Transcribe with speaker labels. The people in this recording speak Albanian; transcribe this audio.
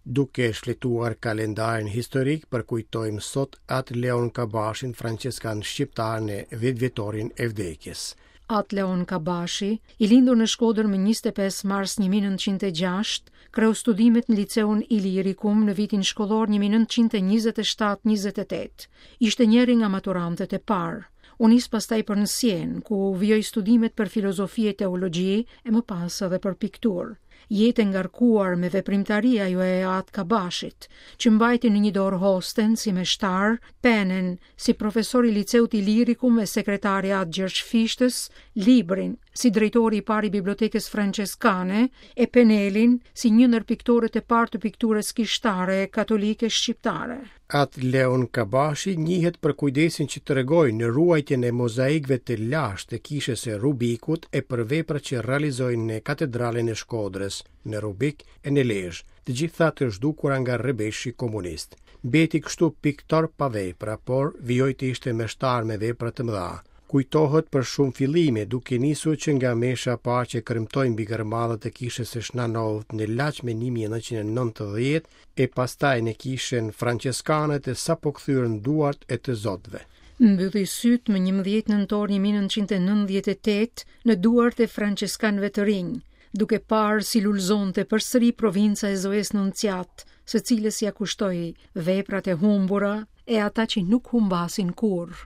Speaker 1: Duke shfletuar kalendarin historik, përkujtojmë sot Atë Leon Kabashin, françeskan shqiptar në dhjetëvjetorin e vdekjes.
Speaker 2: Atë Leon Kabashi, i lindur në Shkodër më 25 mars 1906, kreu studimet në Liceun Ilirikum në vitin shkollor 1927-28. Ishte njëri nga maturantët e parë. U nis pastaj për në Sienë, ku vijoi studimet për filozofi e teologji e më pas edhe për pikturë. Jetë e ngarkuar me veprimtari ajo e Atë Kabashit, që mbajti në një dorë hosten si meshtar, penen si profesor i Liceut Ilirikum e sekretar i Atë Gjergj Fishtës, librin si drejtori i parë i Bibliotekës Françeskane e penelin si një ndër piktorët e parë të pikturës kishtare katolike shqiptare.
Speaker 1: Atë Leon Kabashi njihet për kujdesin që tregoi në ruajtjen e mozaikëve të lashtë të kishës së Rubikut e për veprat që realizoi në Katedralen e Shkodrës, në Rubik e në Lezhë, të gjitha të zhdukura nga rrebeshi komunist. Mbeti kështu piktor pa vepra, por vijoi të ishte meshtar me vepra të mëdha. Kujtohet për shumë fillime, duke nisur që nga mesha e parë që kremtoi mbi gërmadhat e kishës së Shna Novit në Laç më 1990 e pastaj në kishën françeskane të sapokthyer në duart e të zotëve.
Speaker 2: Mbylli sytë më 11 nëntor 1998 në duart e françeskanëve të rinj, duke parë si lulëzonte përsëri provinca e Zojës Nunciatë, së cilës ia kushtoi veprat e humbura e ata që nuk humbasin kurrë.